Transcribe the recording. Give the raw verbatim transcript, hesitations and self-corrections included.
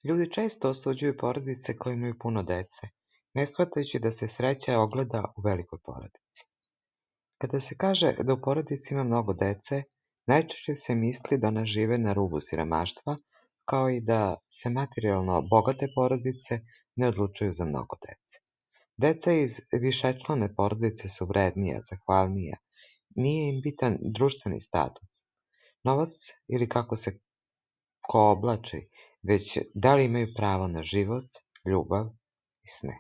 Ljudi često osuđuju porodice koje imaju puno dece, ne shvatajući da se sreća ogleda u velikoj porodici. Kada se kaže da u porodici ima mnogo dece, najčešće se misli da ona žive na rubu siromaštva, kao i da se materijalno bogate porodice ne odlučuju za mnogo dece. Deca iz višečlane porodice su vrednija, zahvalnija, nije im bitan društveni status, novac ili kako se ko oblači, već da li imaju pravo na život, ljubav i smeh.